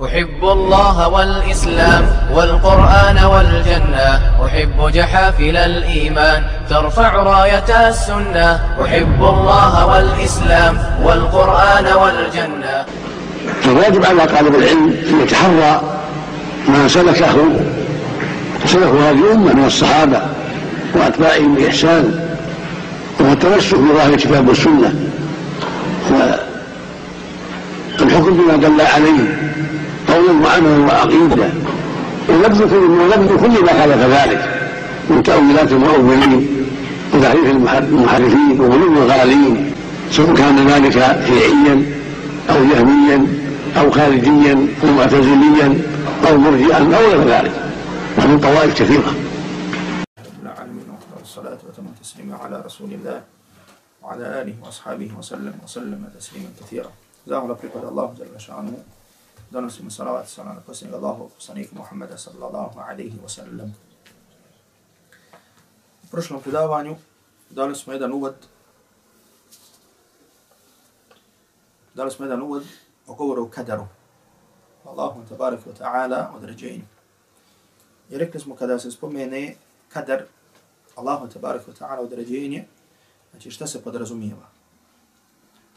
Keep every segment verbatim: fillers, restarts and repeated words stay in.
أحب الله والإسلام والقرآن والجنة أحب جحافل الإيمان ترفع راية السنة أحب الله والإسلام والقرآن والجنة. فالواجب على طالب العلم أن يتحرى ما سلكه سلكه هذه الأمة من الصحابة وأتباعهم بإحسان والتمسك بظاهر الكتاب والسنة والحكم بما دل عليه قولا وعملا وعقيدة ونبذ كل ما خالف ذلك من تأويلات المؤولين وتحريف المحرفين وغلو الغالين سواء كان ذلك شيعيا أو جهميا أو خارجيا أو معتزليا أو مرجئا أو غير ذلك ومن طوائف كثيرة. العالمين والصلاة وتم التسليم على رسول الله وعلى آله وأصحابه وسلم وسلم تسليما كثيرا. زاهم لبركة الله جل شأنه donosimo salavat i salam na posljednjeg Allahovog poslanika Muhammeda sallallahu alaihi wa sallam. U prošlom predavanju dali smo jedan uvod dali smo jedan uvod o govoru o kadaru. Allahu tabaraka wa ta'ala određenju. I rekli smo kada se spomene kadar, Allahu tabaraka wa ta'ala određenje, znači šta se podrazumijeva.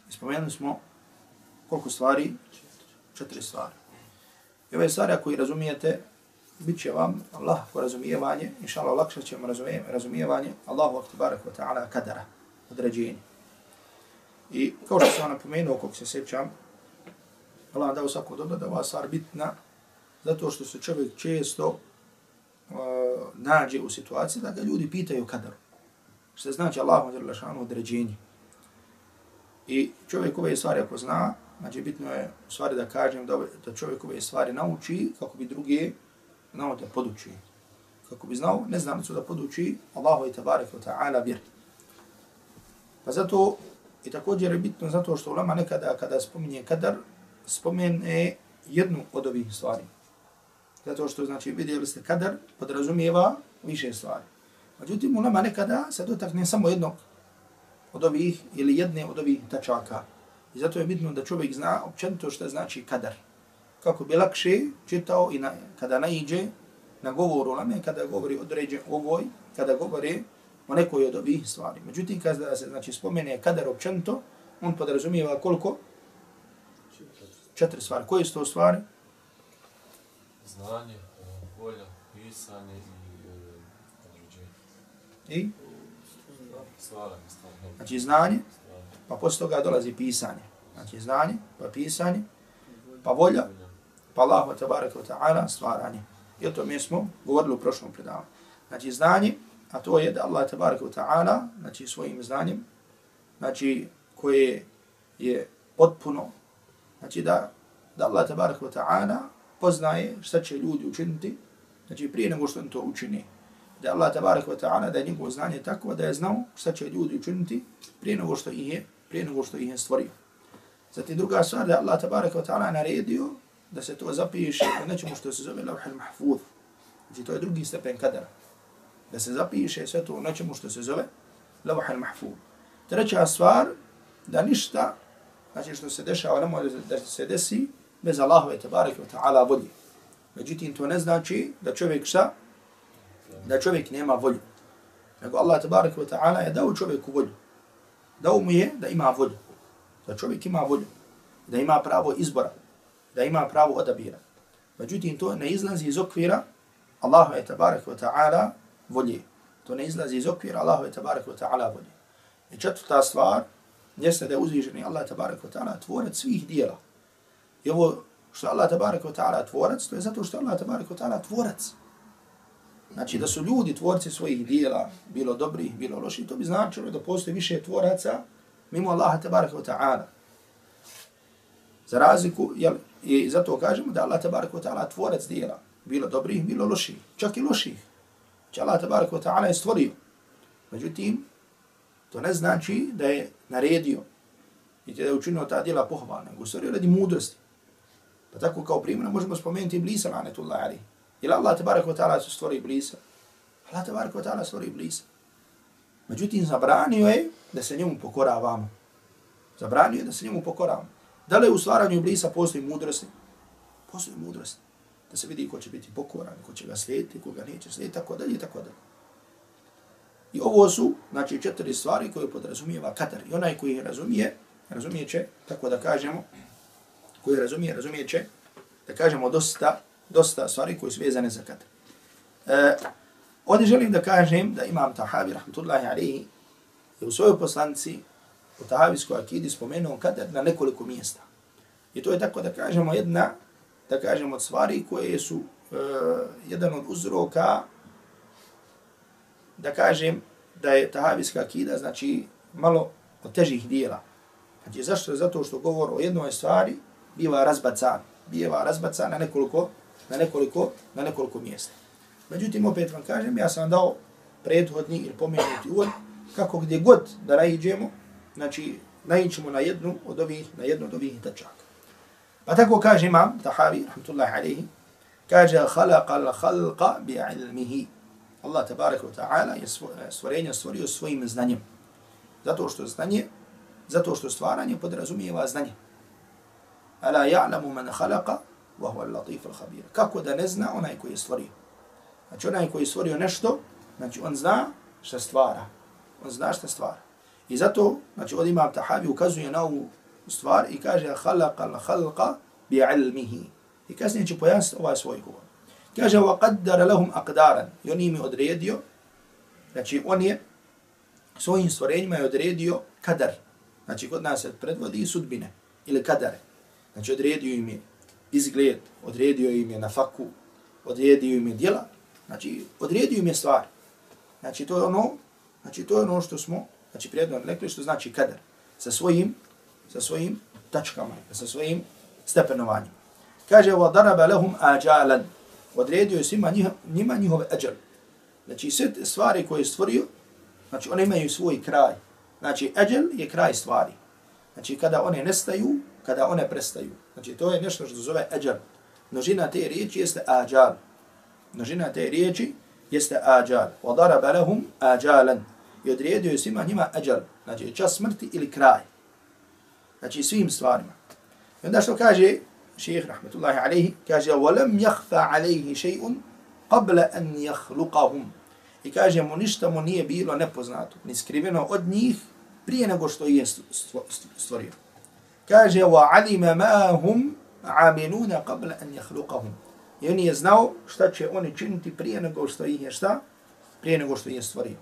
I spomenuli smo koliko stvari, četiri stvari. I ove stvari ako i razumijete, bit će vam Allah ko razumijevanje, inša Allah lakše ćemo razumijevanje Allahu tabaraka wa ta'ala kadara, određenje. I kao što sam vam napomenuo, kako se sjećam, Allah dao svako dobro da ova stvar bitna, zato što se čovjek često uh, nađe u situaciji da ga ljudi pitaju kadaru. Što znači Allahu određenje. I čovjek ove stvari ako zna, znači bitno je u stvari da kažem da, da čovjek ove stvari nauči kako bi druge znao da poduči. Kako bi znao neznalicu da poduči Allahu i tabaraka wa ta'ala vjer. Pa zato i također je bitno zato što ulama nekada kada spominje kadar, spomene jednu od ovih stvari. Zato što znači vidjeli ste kadar podrazumijeva više stvari. Međutim ulama nekada se dotakne samo jednog od ovih ili jedne od ovih tačaka. I zato je bitno da čovjek zna općenito što znači kadar. Kako bi lakše čitao i na, kada naiđe na govoru ulame, kada govori određen ovoj, kada govori o nekoj od ovih stvari. Međutim, kada se znači, spomene kadar općenito, on podrazumijeva koliko? Četiri stvari. Koje su to stvari? Znanje, volja, pisanje i određenje. I? Stvaranje. Znači znanje, pa poslije toga dolazi pisanje. Znači znanje, pa pisanje, pa volja, pa Allahu tabaraka wa ta'ala stvaranje. I o tome smo govorili u prošlom predavanju. Znači znanje, a to je da Allah tabaraka wa ta'ala, znači svojim znanjem, znači koje je potpuno, znači da, da Allah tabaraka wa ta'ala poznaje šta će ljudi učiniti, znači prije nego što on to učini. Da Allah tabaraka wa ta'ala da je njegovo znanje tako da je znao šta će ljudi učiniti prije nego što ih je, prije nego što ih je stvorio. Zatim druga stvar da Allah tabaraka wa ta'ala naredio da se to zapiše u nečemu što se zove lawh al-mahfuz. Znači to je drugi stepen kadara. Da se zapiše sve to u nečemu što se zove lawh al-mahfuz. Treća stvar da ništa, znači što se dešava, ne može da se desi bez Allahove tabaraka wa ta'ala volje. Međutim to ne znači da čovjek šta? Da čovjek nema volju. Nego Allah tabaraka wa ta'ala je dao čovjeku volju. Dao mu je da ima volju. Da čovjek ima volju. Da ima pravo izbora. Da ima pravo odabira. Međutim, to ne izlazi iz okvira Allahove tabaraka wa ta'ala volje. To ne izlazi iz okvira Allahove tabaraka wa ta'ala volje. I četvrta stvar jeste da je uzvišeni Allah tabaraka wa ta'ala tvorac svih dijela. I ovo što Allah tabaraka wa ta'ala tvorac, to je zato što Allah tabaraka wa ta'ala tvorac. Znači da su ljudi tvorci svojih dijela, bilo dobrih, bilo loših, to bi značilo da postoji više tvoraca mimo Allaha tabaraka wa ta'ala. Za razliku, jel, i zato kažemo da Allah tabaraka wa ta'ala tvorac dijela, bilo dobrih, bilo loših, čak i loših. Znači Allah tabaraka wa ta'ala je stvorio. Međutim, to ne znači da je naredio i da je učinio ta dijela pohvalna, nego stvorio radi mudrosti. Pa tako kao primjer možemo spomenuti Iblisa, lanetullahi alejhi. Ili Allah tabaraka wa ta'ala se stvori Iblisa? Allah tabaraka wa ta'ala stvori Iblisa. Međutim, zabranio je da se njemu pokoravamo. Zabranio je da se njemu pokoravamo. Da li u stvaranju Iblisa postoji mudrosti? postoji mudrost. Da se vidi ko će biti pokoran, ko će ga slijediti, ko ga neće slijediti, tako dalje i tako dalje. I ovo su, znači, četiri stvari koje podrazumijeva kadar. I onaj koji razumije, razumije će, tako da kažemo, koji razumije, razumije će, da kažemo, dosta, dosta stvari koje su vezane za kadar. E, ovdje želim da kažem da Imam Tahavi, rahmatullahi alaihi, je u svojoj poslanici u Tahavijskoj akidi spomenuo kadar na nekoliko mjesta. I to je tako da kažemo jedna, da kažemo od stvari koje su e, jedan od uzroka, da kažem da je Tahavijska akida, znači malo od težih dijela. Znači zašto? Zato što govor o jednoj stvari biva razbacan, biva razbacan na nekoliko, na nekoliko, na nekoliko mjesta. Međutim, opet vam kažem, ja sam vam dao prethodni ili pomenuti uvod, kako gdje god da naiđemo, znači naiđemo na jednu od ovih, na jednu od ovih tačaka. Pa tako kaže Imam Tahavi, rahmatullahi alaihi, kaže khalaqa al-khalqa bi'ilmihi. Allah tabaraka wa ta'ala je stvorenje stvorio svojim znanjem. Zato što znanje, zato što stvaranje podrazumijeva znanje. Ala ja'lamu man khalaqa wa huwa al-latif al-khabir. Kako da ne zna onaj koji je stvorio. Znači onaj koji je stvorio nešto, znači on zna šta stvara. On zna šta stvara. I zato, znači od Imam Tahavi ukazuje na ovu stvar i kaže khalaqa al-khalqa bi'ilmihi. I kasnije će pojasniti ovaj svoj govor. Kaže وَقَدَّرَ لَهُمْ أَقْدَارًا. I on im je odredio, znači on je svojim stvorenjima je odredio kadar. Znači kod nas se predvodi sudbine ili kadare. Znači odredio im je izgled, odredio im je nafaku, odredio im je djela, znači odredio im je stvar. Znači to je ono, znači to je ono što smo, znači prijedno rekli što znači kadar. Sa svojim, sa svojim tačkama, sa svojim stepenovanjem. Kaže وَضَرَبَ لَهُمْ آجَالًا. Odredio je svima njih, njima njihove ađal. Znači sve stvari koje je stvorio, znači one imaju svoj kraj. Znači ađal je kraj stvari. Znači kada one nestaju, kada one prestaju. Znači to je nešto što zove ađal. Množina te riječi jeste ađal. Množina te riječi jeste ađal. وَضَرَبَ لَهُمْ آجَالًا. I odredio je svima njima ađal. Znači čas smrti ili kraj. Znači svim stvarima. I onda što kaže šejh rahmetullahi alejhi, kaže وَلَمْ يَخْفَ عَلَيْهِ شَيْءٌ قَبْلَ أَنْ يَخْلُقَهُمْ. I kaže mu ništa mu nije bilo nepoznato, ni skriveno od njih prije nego što je stvorio. Kaže وَعَلِمَ مَا هُمْ عَامِلُونَ قَبْلَ أَنْ يَخْلُقَهُمْ. I on je znao šta će oni činiti prije nego što ih je šta? Prije nego što je stvorio.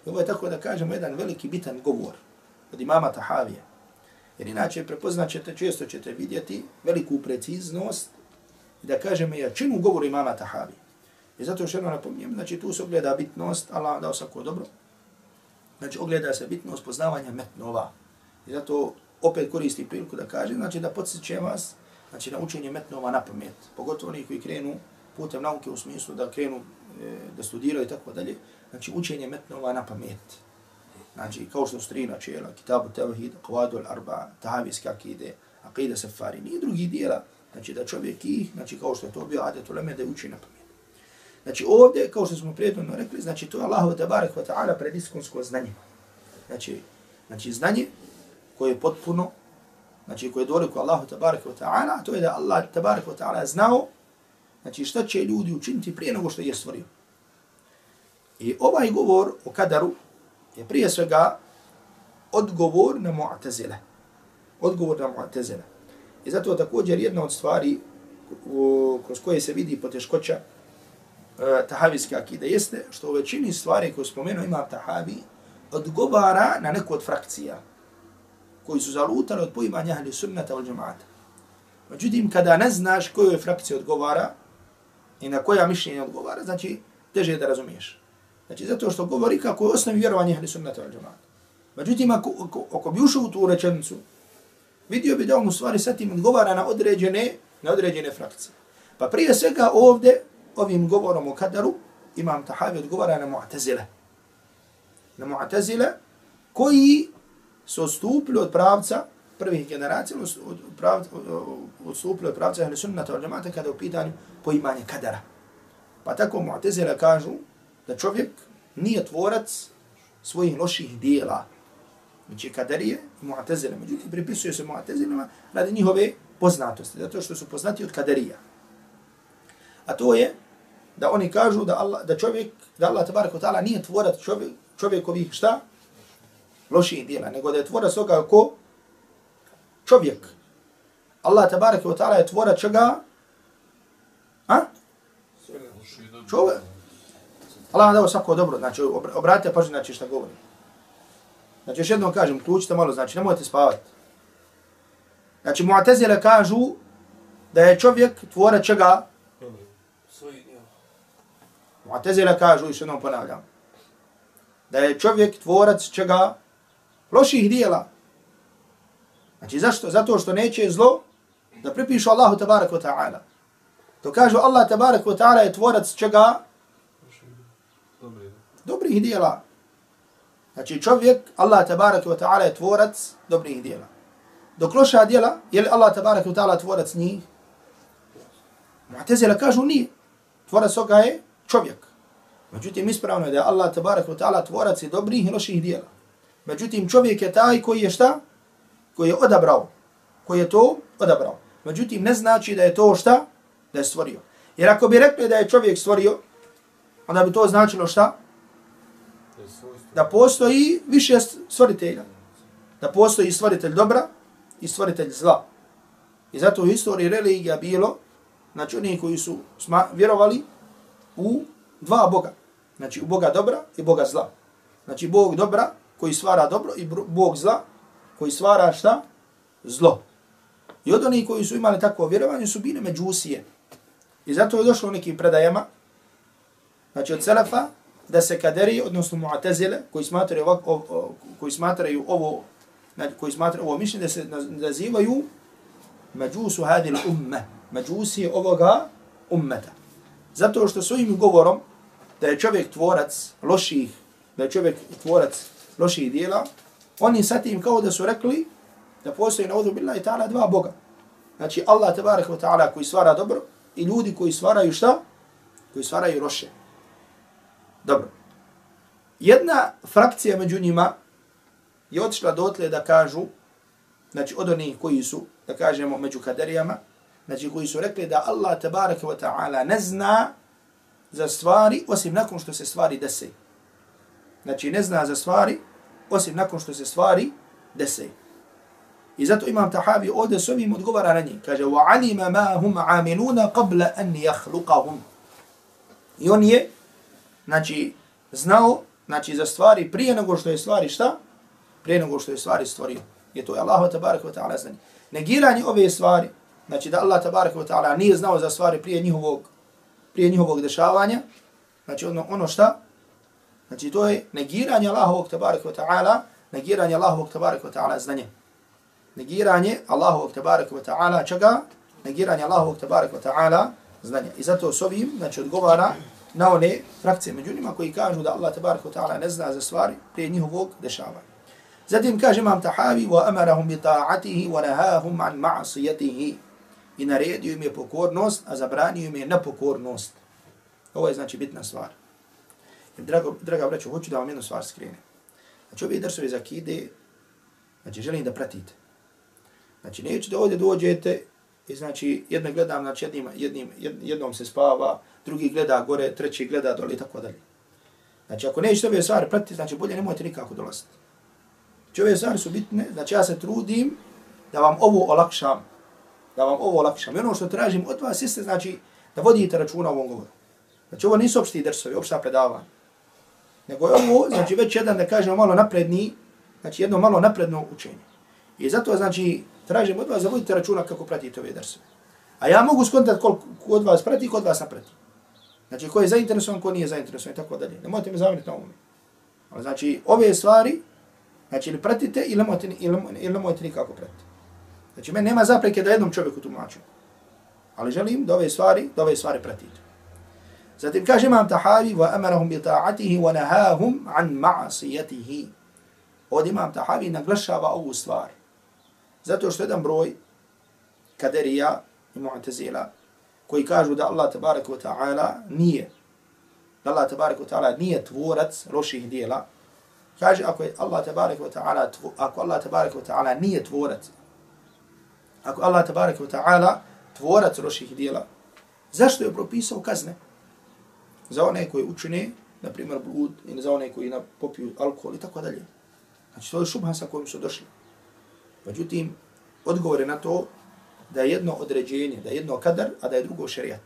I ovo je tako da kažemo jedan veliki bitan govor od imama Tahavija. Jer inače prepoznat ćete, često ćete vidjeti veliku preciznost i da kažemo jačinu govoru imama Tahavi. I zato još jedno napominjem, znači tu se ogleda bitnost, Allah dao svako dobro, znači ogleda se bitnost poznavanja metnova. I zato opet koristi priliku da kažem, znači da podsjećam vas, znači na učenje metnova na pamet. Pogotovo oni koji krenu putem nauke u smislu da krenu e, da studiraju i tako dalje, znači učenje metnova na pamet. Znači, kao što su tri načela, Kitabu Tevhid, Qawadu al-Arba, Tahavijske akide, Aqida Safarini i drugi dijela, znači da čovjek ih, znači kao što je to bio adet uleme, da uči na pamet. Znači ovdje, kao što smo prijetno rekli, znači to je Allahu tabarak wa ta'ala prediskonsko znanje. Znači, znači znanje koje je potpuno, znači koje je doliko Allahu tabarak wa ta'ala, to je da Allah tabarak wa ta'ala znao, znači šta će ljudi učiniti prije nego što je stvorio. I ovaj govor o kadaru je prije svega odgovor na Mu'tazile. Odgovor na Mu'tazile. I zato također jedna od stvari u, kroz koje se vidi poteškoća uh, Tahavijske akide jeste što u većini stvari koje spomenuo Imam Tahavi odgovara na neku od frakcija koji su zalutali od poimanja ahli sunnata wal džemaata. Međutim, kada ne znaš kojoj frakciji odgovara i na koja mišljenja odgovara, znači teže je da razumiješ. Znači, zato što govori kako je osnovi vjerovanje ahli sunnata wal džemaata. Međutim, ako, ako, ako bi ušao u tu rečenicu, vidio bi da on u stvari sa tim odgovara na određene, na određene frakcije. Pa prije svega ovdje, ovim govorom o kadaru, Imam Tahavi odgovara na Mu'tazile. Na Mu'tazile koji su odstupili od pravca prvih generacija, od pravca, odstupili od pravca ahli sunnata wal džemaata kada je u pitanju poimanje kadara. Pa tako Mu'tazile kažu da čovjek nije tvorac svojih loših dijela. Znači kadarije i Mu'tazile. Međutim, pripisuje se Mu'tazilima radi njihove poznatosti, zato što su poznati od kadarija. a to je da oni kažu da Allah, da čovjek, da Allah tabarak wa ta'ala nije tvorac čovjek, čovjekovih šta? Loših djela, nego da je tvorac toga ko? Čovjek. Allah tabarak wa ta'ala je tvorac čega? A? Čovjek. Allah vam dao svako dobro, znači obratite pažnju znači šta govori. Znači još jednom kažem, ključite malo, znači nemojte spavati. Znači Mu'tazile kažu da je čovjek tvorac čega? Mu'tazile kažu, još jednom ponavljam, da je čovjek tvorac čega? Loših dijela. Znači zašto? Zato što neće zlo da pripišu Allahu tabarak wa ta'ala. To kažu Allah tabarak wa ta'ala je tvorac čega? Dobrih dijela. Znači čovjek, Allah tabarak wa ta'ala je tvorac dobrih dijela. Dok loša dijela, je li Allah tabarak wa ta'ala tvorac njih? Mu'tazila kažu nije. Tvorac toga je čovjek. Međutim, ispravno je da je Allah tabarak wa ta'ala tvorac i dobrih i loših dijela. Međutim, čovjek je taj koji je šta? Koji je odabrao. Koji je to odabrao. Međutim, ne znači da je to šta? Da je stvorio. Jer ako bi rekli da je čovjek stvorio, onda bi to značilo šta? Da postoji više stvoritelja. Da postoji stvoritelj dobra i stvoritelj zla. I zato u istoriji religija bilo, znači oni koji su vjerovali u dva Boga. Znači u Boga dobra i Boga zla. Znači Bog dobra koji stvara dobro i Bog zla koji stvara šta? Zlo. I od onih koji su imali takvo vjerovanje su bile međusije. I zato je došlo u nekim predajama, znači od Selefa, da se kaderi, odnosno Mu'tazile, koji smatraju, ovako, koji smatraju ovo, koji smatraju ovo mišljenje, da se nazivaju međusu hadil umme, međusije ovoga ummeta. Zato što svojim govorom da je čovjek tvorac loših, da je čovjek tvorac loših dijela, oni sa tim kao da su rekli da postoji naudhu billahi ta'ala dva Boga. Znači Allah tabarak wa ta'ala koji stvara dobro i ljudi koji stvaraju šta? Koji stvaraju loše. Dobro. Jedna frakcija među njima je otišla dotle da kažu, znači od onih koji su, da kažemo, među kaderijama, znači koji su rekli da Allah tabarak wa ta'ala ne zna za stvari osim nakon što se stvari dese. Znači ne zna za stvari osim nakon što se stvari dese. I zato Imam Tahavi ovdje s ovim odgovara na njih. Kaže, وَعَلِمَ مَا هُمْ عَامِلُونَ قَبْلَ أَنْ يَخْلُقَهُمْ. I on je, znači, znao, znači, za stvari prije nego što je stvari šta? Prije nego što je stvari stvorio. Je to je Allah tabarak wa ta'ala znanje. Negiranje ove stvari, znači da Allah tabarak wa ta'ala nije znao za stvari prije njihovog, prije njihovog dešavanja, znači ono, ono šta? Znači to je negiranje Allahovog tabarak wa ta'ala, negiranje Allahovog tabarak wa ta'ala znanje. Negiranje Allahovog tabarak wa ta'ala čega? Negiranje Allahovog tabarak wa ta'ala znanja. I zato s ovim, znači, odgovara na one frakcije među njima koji kažu da Allah tabarak wa ta'ala ne zna za stvari prije njihovog dešavanja. Zatim kaže Imam Tahavi, وَأَمَرَهُمْ بِطَاعَتِهِ وَنَهَاهُمْ عَنْ مَعْصِيَتِهِ. I naredio im je pokornost, a zabranio im je nepokornost. Ovo je znači bitna stvar. I drago, draga braćo, hoću da vam jednu stvar skrenem. Znači ovi drsovi za akide, znači želim da pratite. Znači neću da ovdje dođete i znači jedno gledam, znači jednim, jednim, jednom se spava, drugi gleda gore, treći gleda dole i tako dalje. Znači ako nećete ove stvari pratiti, znači bolje nemojte nikako dolaziti. Znači ove stvari su bitne, znači ja se trudim da vam ovo olakšam, da vam ovo olakšam. I ono što tražim od vas jeste, znači, da vodite računa o ovom govoru. Znači ovo nisu opšti drsovi, opšta predavanja. Nego je ovo, znači već jedan, da kažemo, malo napredni, znači jedno malo napredno učenje. I zato, znači, tražim od vas da vodite računa kako pratite ove drsove. A ja mogu skontati koliko od vas prati, kod vas naprati. Znači, ko je zainteresovan, ko nije zainteresovan i tako dalje. Nemojte me zamjeriti na ovome. Znači, ove stvari, znači, ili pratite ili nemojte, ili, ili nemojte nikako pratiti. Znači, meni nema zapreke da jednom čovjeku tumaču. Ali želim da ove stvari, da ove stvari pratite. Zatim kaže Imam Tahavi, وَأَمَرَهُمْ بِطَاعَتِهِ وَنَهَاهُمْ عَنْ مَعْصِيَتِهِ. Ovdje Imam Tahavi naglašava ovu stvar. Zato što jedan broj kaderija i mu'tazila koji kažu da Allah tabarak wa ta'ala nije, da Allah tabarak wa ta'ala nije tvorac loših dijela, kaže ako je Allah tabarak wa ta'ala, ako Allah tabarak wa ta'ala nije tvorac, ako Allah tabarak wa ta'ala tvorac loših dijela, Zašto je propisao kazne? Za one koji učine, na primjer, blud, ili za one koji popiju alkohol i tako dalje. Znači, to je šubha sa kojim su došli. Međutim, odgovor je na to da je jedno određenje, da je jedno kadar, a da je drugo šerijat.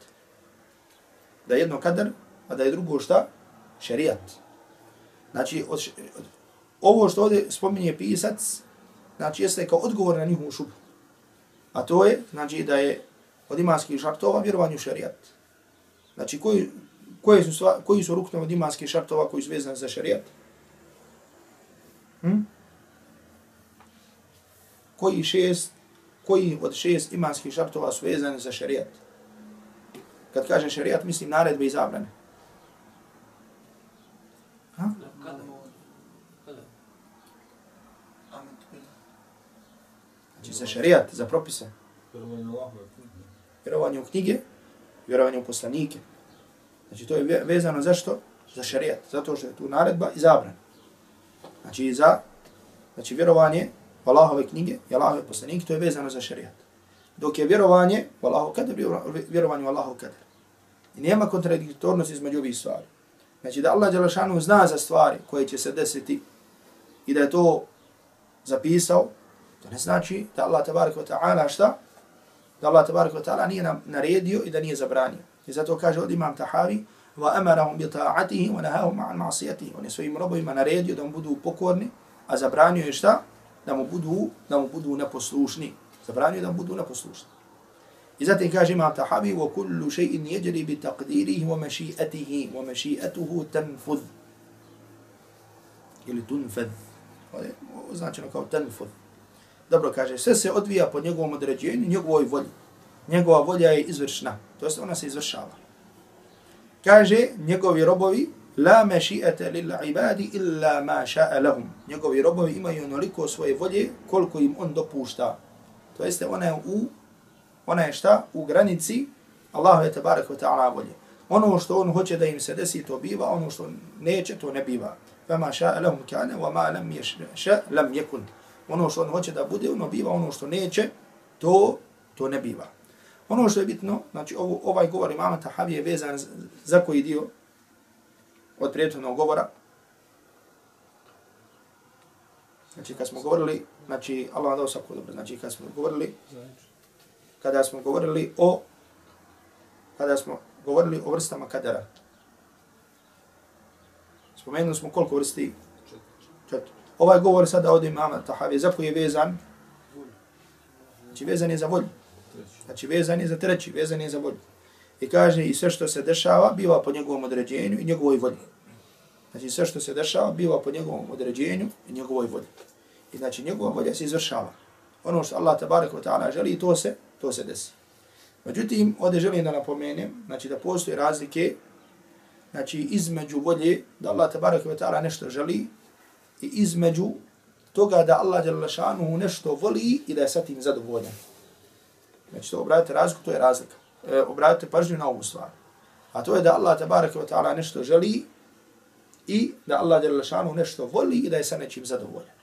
Da je jedno kadar, a da je drugo šta? Šerijat. Znači, od, od, ovo što ovdje spominje pisac, znači, jeste kao odgovor na njihovu šubhu. A to je, znači, da je od imanskih šartova vjerovanju šerijat. Znači, koji, koji su, sva, koji su rukne od imanskih šartova koji su vezani za šerijat? Hm? Koji šest, koji od šest imanskih šartova su vezani za šerijat? Kad kažem šerijat, mislim naredbe i zabrane. Ha? Znači za šerijat, za propise. Vjerovanje u knjige, vjerovanje u poslanike. Znači to je vezano zašto? Za šerijat. Zato što je tu naredba i zabrana. Znači za znači, vjerovanje u Allahove knjige i Allahove poslanike, to je vezano za šerijat. Dok je vjerovanje u Allahov kader, vjerovanje u Allahov kader. I nema kontradiktornosti između ovih stvari. Znači da Allah dželešanu zna za stvari koje će se desiti i da je to zapisao, to ne znači da Allah tabaraka wa ta'ala šta? Da Allah tabaraka wa ta'ala nije naredio i da nije zabranio. I zato kaže od imam Tahavi wa amarahum bi ta'atihi wa nahahum ma'an ma'siyatihi. On je svojim robovima naredio da mu budu pokorni, a zabranio je šta? Da mu budu, da mu budu neposlušni. Zabranio je da mu budu neposlušni. I zatim kaže imam Tahavi wa kullu shay'in yajri bi taqdirihi wa mashi'atihi wa mashi'atuhu tanfudh. Ili tunfadh. Ovo je označeno kao tanfudh. Dobro kaže, sve se odvija po njegovom određenju, njegovoj volji. Njegova volja je izvršna, to jest ona se izvršava. Kaže, njegovi robovi, la maši'ata lil ibadi illa ma ša'a lahum. Njegovi robovi imaju onoliko svoje volje koliko im on dopušta. To jeste, ona je u, ona je šta? U granici Allahove tebareke ve ta'ala volje. Ono što on hoće da im se desi, to biva, ono što neće, to ne biva. Fama ša'a lahum kana, wa ma lam yasha lam yakun. Ono što on hoće da bude, ono biva, ono što neće, to, to ne biva. Ono što je bitno, znači ovo, ovaj govor imama Tahavi je vezan za koji dio od prethodnog govora. Znači kad smo govorili, znači Allah vam dao svako dobro, znači kad smo govorili, kada smo govorili o, kada smo govorili o vrstama kadera. Spomenuli smo koliko vrsti? Četiri. Ovaj govor sada od imama Tahavi, za koji je vezan? Znači vezan je za volju. Znači vezan je za treći, vezan je za volju. I kaže i sve što se dešava biva po njegovom određenju i njegovoj volji. Znači sve što se dešava biva po njegovom određenju i njegovoj volji. I znači njegova volja se izvršava. Ono što Allah tabaraka wa ta'ala želi, to se, to se desi. Međutim, ovdje želim da napomenem, znači da postoje razlike, znači između volje da Allah tabaraka wa ta'ala nešto želi i između toga da Allah dželle šanuhu nešto voli i da je sa tim zadovoljan. Znači to obratite razliku, to je razlika. E, obratite pažnju na ovu stvar. A to je da Allah tabaraka wa ta'ala nešto želi i da Allah dželle šanuhu nešto voli i da je sa nečim zadovoljan.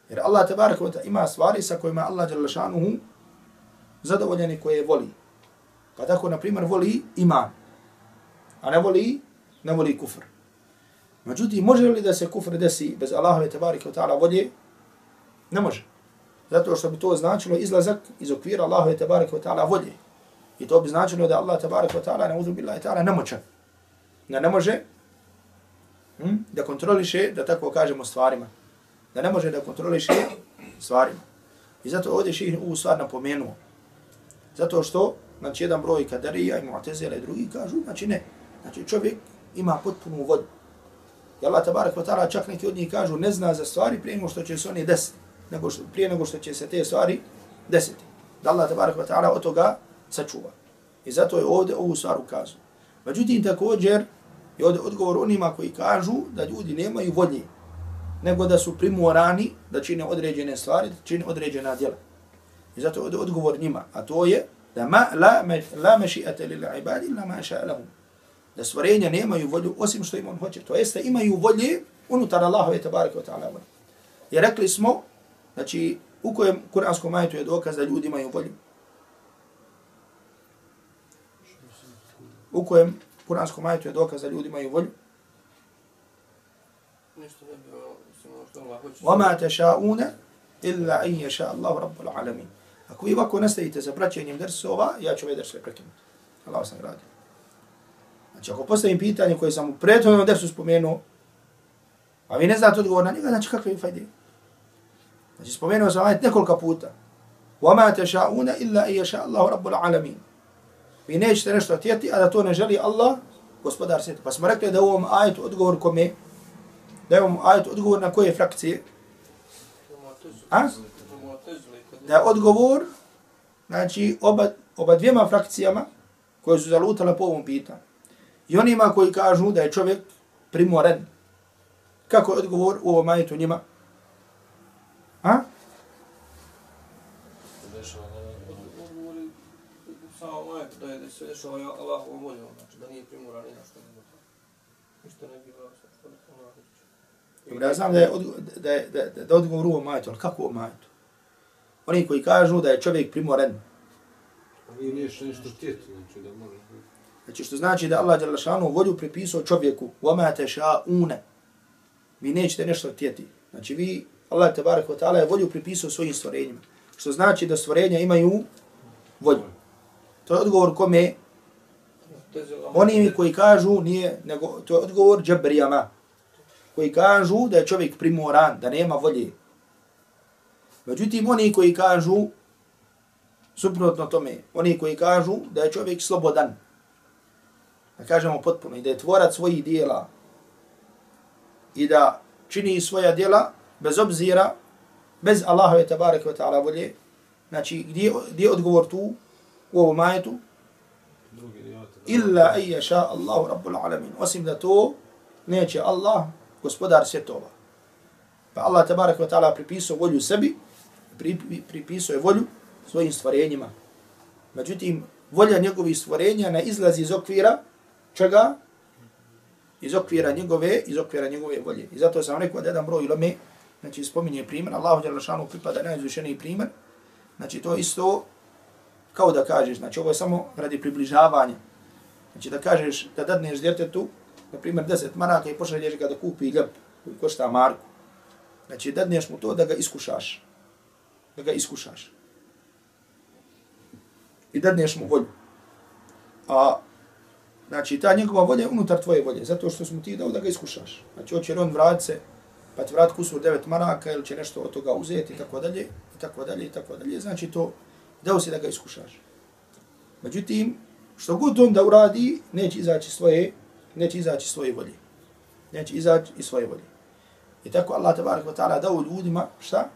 Jer Allah tabaraka wa ta'ala ima stvari sa kojima Allah dželle šanuhu zadovoljan i koje voli. Pa tako, na primjer, voli iman, a ne voli, ne voli kufr. Međutim, može li da se kufr desi bez Allahove tabaraka wa ta'ala volje? Ne može. Zato što bi to značilo izlazak iz okvira Allahove tabaraka wa ta'ala volje. I to bi značilo da Allah tabaraka wa ta'ala, ne'udhu billahi ta'ala, nemoćan. Da ne može hm, da kontroliše, da tako kažemo, stvarima. Da ne može da kontroliše stvarima. I zato ovdje ših ovu stvar napomenuo. Zato što, znači, jedan broj kadarija i mu'tezila i drugi kažu, znači ne. Znači, čovjek ima potpunu volju. I Allah tabaraka wa ta'ala čak neki od njih kažu ne zna za stvari prije nego što će se oni desiti. Nego što, prije nego što će se te stvari desiti. Da Allah tabaraka wa ta'ala od toga sačuva. I zato je ovdje ovu stvar ukazao. Međutim, također je ovdje odgovor onima koji kažu da ljudi nemaju volje, nego da su primorani da čine određene stvari, da čine određena djela. I zato je ovdje odgovor njima. A to je da ma, la, la maši'ata lil ibadi illa ma sha'a lahum. Da stvorenja nemaju volju osim što im on hoće. To jeste imaju volje unutar Allahove tabaraka wa ta'ala volje. I rekli smo, znači, u kojem kuranskom ajetu je dokaz da ljudi imaju volju? u kojem kuranskom ajetu je dokaz da ljudi imaju volju. Nešto ne bi ono što Allah hoće. وَمَا تَشَاءُونَ إِلَّا أَنْ يَشَاءَ اللَّهُ رَبُّ الْعَالَمِينَ. Ako vi ovako nastavite sa praćenjem dersova, ja ću ovaj ders sve prekinuti. Allah vas nagradi. Znači, ako postavim pitanje koje sam u prethodnom dersu spomenuo, a vi ne znate odgovor na njega, znači kakve je fajde? Znači, spomenuo sam ajet nekolika puta. وَمَا تَشَاءُونَ إِلَّا أَنْ يَشَاءَ اللَّهُ رَبُّ الْعَالَمِينَ. Vi nećete nešto htjeti, a da to ne želi Allah, gospodar svijeta. Pa smo rekli da u ovom ajetu odgovor kome? Da je u ovom ajetu odgovor na koje frakcije? A? Da je odgovor, znači, oba, oba dvijema frakcijama koje su zalutale po ovom pitanju. I onima koji kažu da je čovjek primoren. Kako je odgovor u ovom ajetu njima? A? Odgovori samo ajetu da je da se dešava Allahovom voljom, znači da nije primoran ni na što ne može. Ništa ne bi bilo što Allah hoće. Ja znam da je, odgo da je, da, da, da odgovor u ovom ajetu, ali kako u ovom ajetu? Oni koji kažu da je čovjek primoren. Vi niješ nešto htjeti, znači da može. Znači što znači da Allah dželešanu volju pripisao čovjeku. وَمَا تَشَاءُونَ. Vi nećete nešto htjeti. Znači vi, Allah tebarek ve ta'ala je volju pripisao svojim stvorenjima. Što znači da stvorenja imaju volju. To je odgovor kome? Oni koji kažu nije, nego to je odgovor džabrijama. Koji kažu da je čovjek primoran, da nema volje. Međutim, oni koji kažu suprotno tome, oni koji kažu da je čovjek slobodan, da kažemo potpuno, i da je tvorac svojih dijela i da čini svoja dijela bez obzira, bez Allahove tabaraka wa ta'ala volje. Znači, gdje, gdje je odgovor tu u ovom ajetu? Illa an yasha Allahu rabbul alamin. Osim da to neće Allah, gospodar svjetova. Pa Allah tabaraka wa ta'ala pripisao volju sebi, pripisao je volju svojim stvorenjima. Međutim, volja njegovih stvorenja ne izlazi iz okvira čega? Iz okvira njegove, iz okvira njegove volje. I zato sam rekao da jedan broj uleme, znači spominje primjer, Allahu dželle šanu pripada najizvišeniji primjer. Znači to isto kao da kažeš, znači ovo je samo radi približavanja. Znači da kažeš da dadneš djetetu, na primjer deset maraka i pošalješ ga da kupi ljep koji košta marku. Znači dadneš mu to da ga iskušaš. Da ga iskušaš. I dadneš mu volju. A znači ta njegova volja je unutar tvoje volje, zato što smo ti dao da ga iskušaš. Znači hoće li on vrat se, pa ti vrat kusur devet maraka ili će nešto od toga uzeti i tako dalje, i tako dalje, i tako dalje. Znači to dao si da ga iskušaš. Međutim, što god on da uradi, neće izaći svoje, neće izaći svoje volje. Neće izaći iz svoje volje. I tako Allah tabarak wa ta'ala dao ljudima, šta?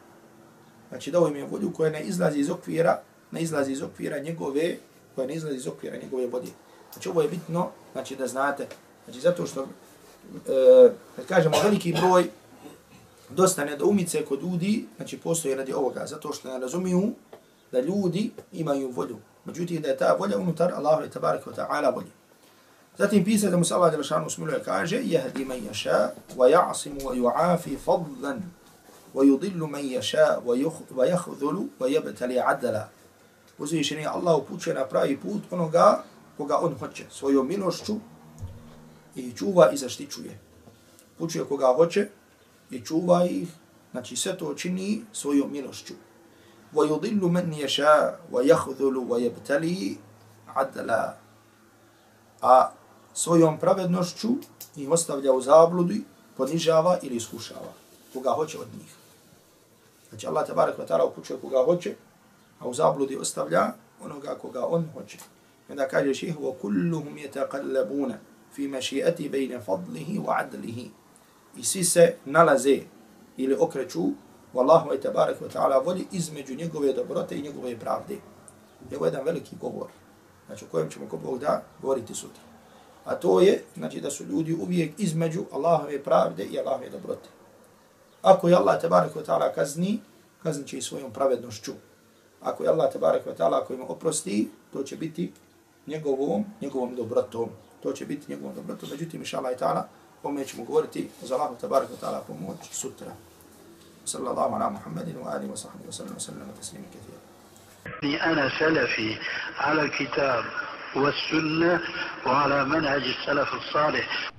Znači dao im je volju koja ne izlazi iz okvira, ne izlazi iz okvira njegove, koja ne izlazi iz okvira njegove volje. Znači ovo je bitno, znači da znate, znači zato što, e, kad kažemo veliki broj, dosta nedoumice kod ljudi, znači postoje radi ovoga, zato što ne razumiju da ljudi imaju volju. Međutim, da je ta volja unutar Allahu tabaraka wa ta'ala volje. Zatim pisac da mu se Allah dželešanu smiluje kaže jehdi man yasha wa ya'simu wa yu'afi fadlan wa yudillu man yasha wa yakhdhulu wa yabtali adla. Uzvišeni Allah upućuje na pravi put onoga koga on hoće svojom milošću i čuva i zaštićuje. Upućuje koga hoće i čuva ih, znači sve to čini svojom milošću. Wa yudillu man yasha wa yakhdhulu wa yabtali adla. A svojom pravednošću ih ostavlja u zabludi, ponižava ili iskušava koga hoće od njih. Znači Allah tabarak wa ta'ala upućuje koga hoće, a u zabludi ostavlja onoga koga on hoće. I onda kaže ših, وَكُلُّهُمْ يَتَقَلَّبُونَ فِي مَشِيئَةِ بَيْنَ فَضْلِهِ وَعَدْلِهِ. I svi se nalaze ili okreću u Allahu tabarak wa ta'ala voli između njegove dobrote i njegove pravde. Ovo je jedan veliki govor, znači o kojem ćemo ko Bog da govoriti sutra. A to je, znači da su ljudi uvijek između Allahove pravde i Allahove dobrote. Ako je Allah tabarak wa ta'ala kazni, kaznit će i svojom pravednošću. Ako je Allah tabarak wa ta'ala ako im oprosti, to će biti njegovom, njegovom dobrotom. To će biti njegovom dobrotom. Međutim, inša Allah ta'ala, ome ćemo govoriti za Allahu tabarak wa ta'ala pomoć sutra. Sallallahu ala Muhammedin wa alihi wa sahbihi wa sallam wa sallam wa taslimu kathira. أنا سلفي على الكتاب والسنة وعلى منهج السلف الصالح